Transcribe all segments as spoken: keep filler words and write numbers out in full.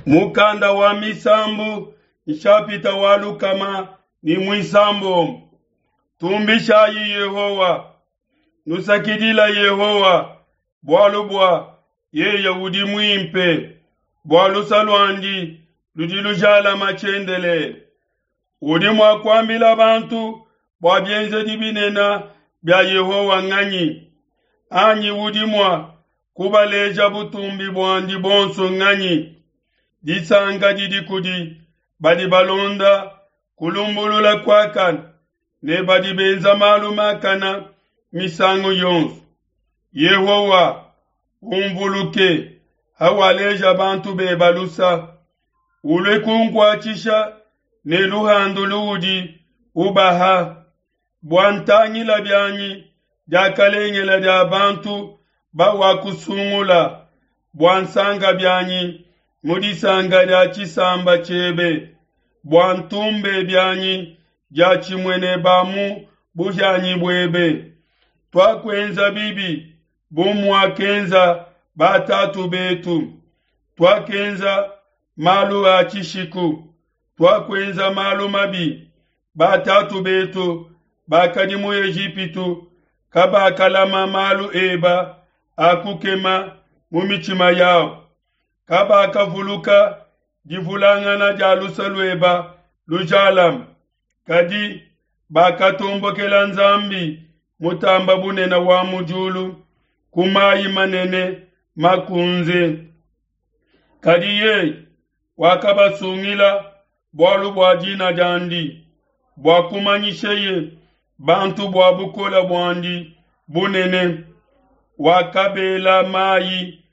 Mukanda wa Misambu nshapita wa lukama ne muisambombo. Tumbishayi Yehowa, nusakidila Yehowa, bualu bua yeye udi muimpe, bua luse luandi ludi lujalama tshiendelele. Udi mua kuambila bantu bua bienzedi binene bia Yehowa nganyi? Anyi udi mua kubaleja butumbi buandi buonso nganyi? Disanka didi kudi badi balonda kulumbulula kuakane ne badi benza malu makane misangu yonso. Yehowa, umvuluke hawaleja bantu beba lusa, ulue kunkuatshisha ne luhandu luudi ubaha, bua ntangila bianyi diakalengele dia bantu bawakusungula, bua nsanka bianyi mu disanka dia tshisamba tshiebe, bua ntumbe bianyi diatshimue ne ba mu buhianyi buebe. Tuakuenza bibi bu muakenza batatu betu, tuakenza malu a tshishiku, tuakuenza malu mabi. Batatu betu bakadi mu Ejipitu kabakalama malu eba a kukema mu mitshima yabo, kabakavuluka divulangana dia luse lueba lujalame, kadi bakatombokela Nzambi mutamba bunene wa mu diulu ku mayi manene makunze. Kadi yeye wakabasungila bualu bua dina diandi, bua kumanyisheye bantu bua bukole buandi bunene. Wakabela mayi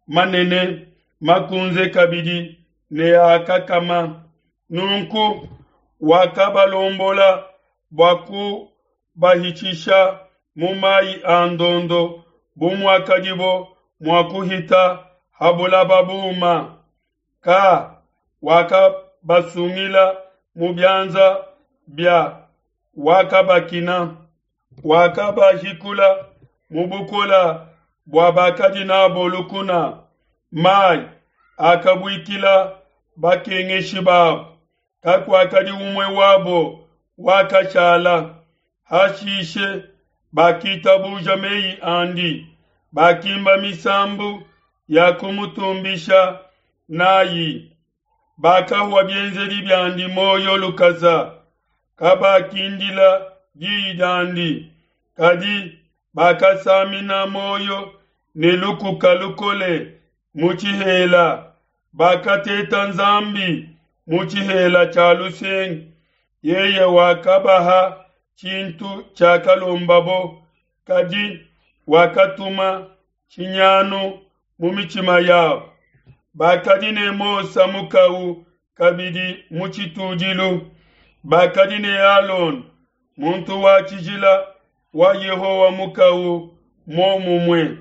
manene makunze kabidi ne akakama. Nunku wakabalombola bua kubahitshisha mu mayi a ndondo bu muakadibo mua kuhita ha bulaba buma. Ka wakabasungila mu bianza bia wakabakina, wakabahikula mu bukole bua bakadi nabo lukuna. Mayi akabuikila bakengeshi babo, kakuakadi umue wabo wakashala. Hashishe bakitabuja meyi andi, bakimba misambu ya kumutumbisha nayi. Bakahua bienzedi biandi muoyo lukasa, kabakindila diyi diandi, kadi bakasamina muoyo ne lukuka lukole mu tshihela. Bakateta Nzambi mu tshihela tshia lusengu, yeye wakabaha tshintu tshiakalombabo, kadi wakatuma tshinyanu mu mitshima yabo. Bakadi ne Mose mukau kabidi mu tshitudilu, bakadi ne Alona muntu wa tshijila wa Yehowa mukau muomumue.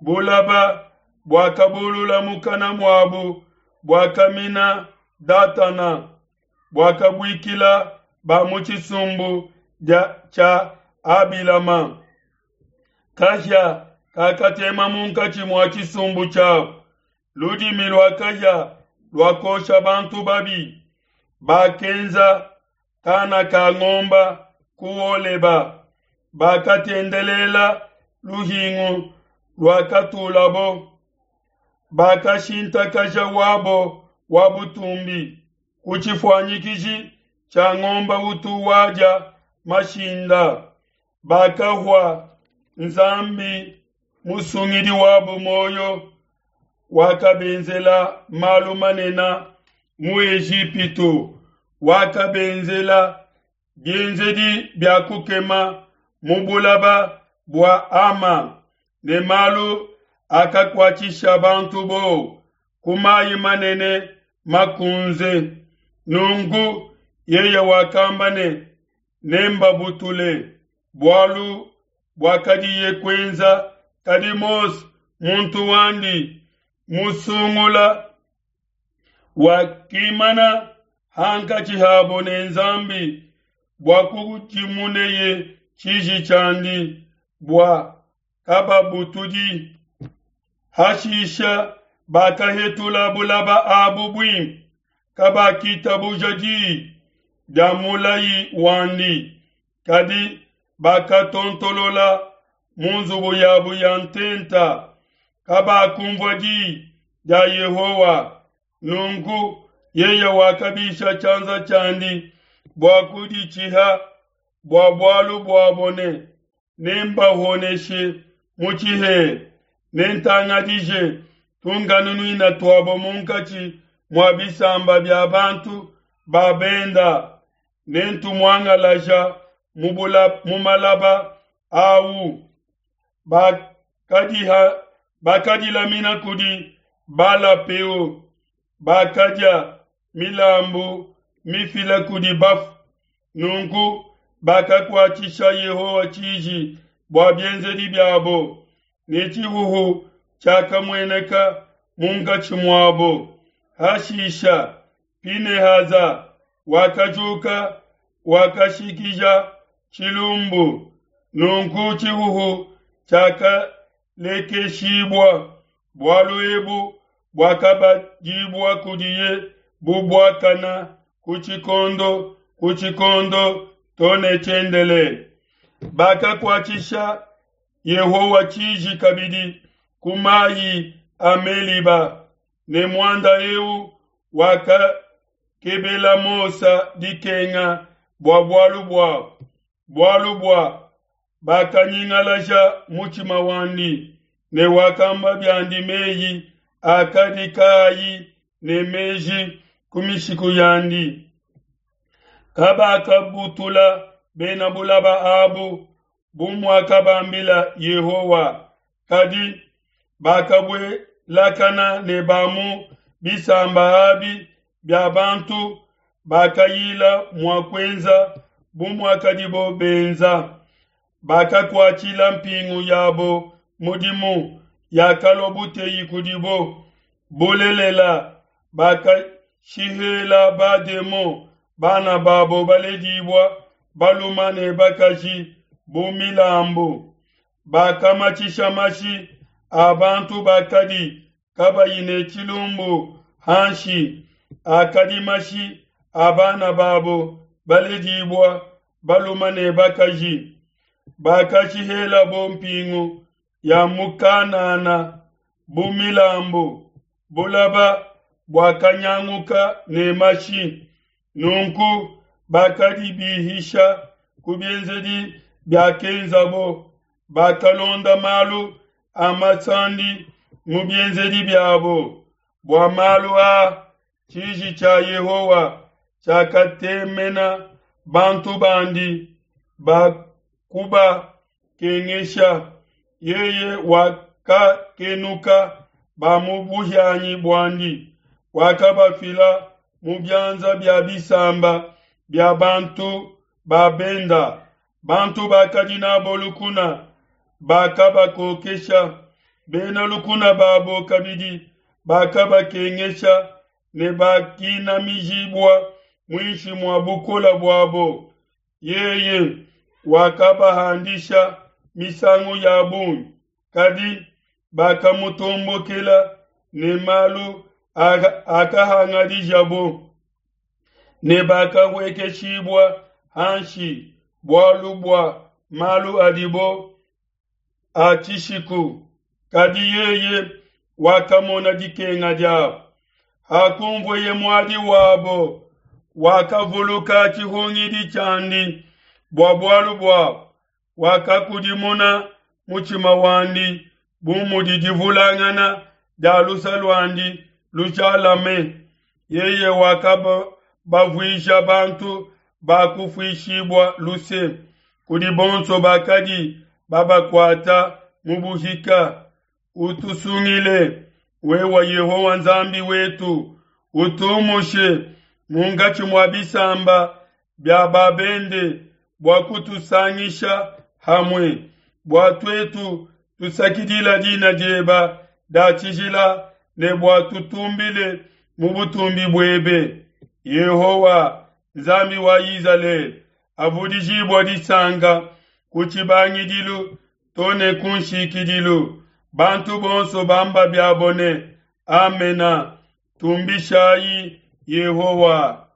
Bulaba buakabulula mukana muabu, buakamina Datana, buakabuikila ba mu tshisumbu tshia Abilama. Kahia kakatema munkatshi mua tshisumbu tshiabu, ludimi lua kahia luakosha bantu babi. Bakenza kana ka ngomba ku Holeba, bakatendelela luhingu luakatulabo. Bakashintakaja wabo wa butumbi ku tshifuanyikiji tshia ngomba utu wadia mashinda. Bakahua Nzambi musungidi wabo muoyo, wakabenzela malu manene mu Ejipitu, wakabenzela bienzedi bia kukema mu bulaba bua Ama, ne malu akakuatshisha bantu bowa ku mayi manene makunze. Nunku yeye wakamba ne, nembabutule, bualu buakadiye kuenza. Kadi Mose muntu wandi musungula wakimana hankatshi habo ne Nzambi bua kukudimuneye tshiji tshiandi bua kababutudi. Hashisha Bakahetula bulaba abu buimpe, kabakitabuja diyi dia mulayi wandi, kadi bakatontolola mu nzubu yabu ya ntenta, kabakumvua diyi dia Yehowa. Nunku yeye wakabisha tshianza tshiandi bua kuditshiha bua bualu buabo ne, nembahoneshe mu tshihela, nentangadije tunkanunuina tuabo munkatshi mua bisamba bia bantu ba benda, nentumuangalaja mu bula- mu malaba awu. Bakadiha bakadilamina kudi Bala-Peo, bakadia milambu mifila kudi bafu. Nunku bakakuatshisha Yehowa tshiji bua bienzedi biabo, ne tshihuhu tshiakamueneka munkatshi muabo. Hashisha Pinehasa wakajuka, wakashikija tshilumbu. Nunku tshihuhu tshiakalekeshibua. Bualu ebu buakabadibua kudiye bu buakana ku tshikondo ku tshikondo to ne tshiendelele. Bakakuatshisha Yehowa tshiji kabidi ku mayi a Meliba, ne muanda eu wakakebela Mose dikenga bua bualu buabo, bualu bua bakanyingalaja mutshima wandi, ne wakamba biandi meyi akadi kaayi ne meji ku mishiku yandi. Kabakabutula bena bulaba abu bu muakabambila Yehowa, kadi bakabuelakana ne ba mu bisamba abi bia bantu, bakayila mua kuenza bu muakadibo benza. Bakakuatshila mpingu yabo mudimu, yakalua buteyi kudibo. Bulelela, bakashihela bademon bana babo baledibua balume ne bakaji bu milambu. Bakamatshisha mashi a bantu bakadi kabayi ne tshilumbu hanshi, akadi mashi a bana babo baledibua balume ne bakaji. Bakashihelabo mpingu ya mu Kanana bu milambu, bulaba buakanyanguka ne mashi. Nunku bakadibihisha ku bienzedi biakenzabo, bakalonda malu a masandi mu bienzedi biabo. Bua malu aa tshiji tshia Yehowa tshiakatemena bantu bandi, bakubakengesha. Yeye wakakenuka ba mu buhianyi buandi, wakabafila mu bianza bia bisamba bia bantu ba benda. Bantu bakadi n'abo lukuna bakabakokesha, bena lukuna babo kabidi bakabakengesha, ne bakinamijibua muinshi mua bukole buabo. Yeye wakabahandisha misangu ya bungi, kadi bakamutombokela ne malu akahangadijabo, ne bakahuekeshibua hanshi bualu bua malu adibo a tshishiku. Kadi yeye wakamona dikenga diabo, hakunvueye muadi wabo, wakavuluka tshihungidi tshiandi bua bualu buabo, wakakudimuna mutshima wandi bu mudi divulangana dia luse luandi lujalame. Yeye wakabavuisha bantu ba kufuishibua luse kudi bonso bakadi babakuata mu buhika. Utusungile, wewe Yehowa Nzambi wetu, utumushe munkatshi mua bisamba bia babende bua kutusangisha hamue, bua tuetu tusakidila dina dieba dia tshijila ne bua tutumbile mu butumbi buebe. Yehowa Nzambi wa Izalele, avudijibua disanka ku tshibangidilu to ne ku nshikidilu. Bantu bonso bamba biabo ne, Amena. Tumbishayi Yehowa!